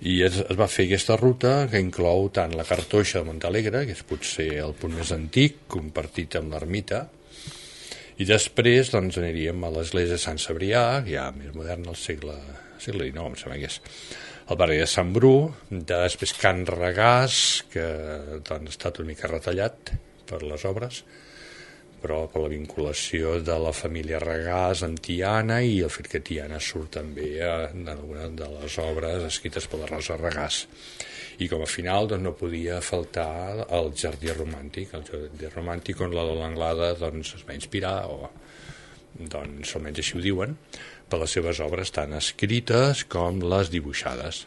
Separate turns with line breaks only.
I es va fer aquesta ruta que inclou tant la Cartoixa de Montalegre, que és potser el punt més antic, compartit amb l'ermita, i després doncs, aniríem a l'església de Sant Cebrià, ja més moderna, al segle XIX, em sembla que és el barri de Sant Bru, després Can Regàs, que doncs, ha estat una mica retallat per les obres, però per la vinculació de la família Regàs amb Tiana i el fet que Tiana surt també en alguna de les obres escrites per la Rosa Regàs. I com a final doncs, no podia faltar el Jardí Romàntic, on la L'Anglada doncs, es va inspirar, o doncs, almenys així ho diuen, per les seves obres tant escrites com les dibuixades.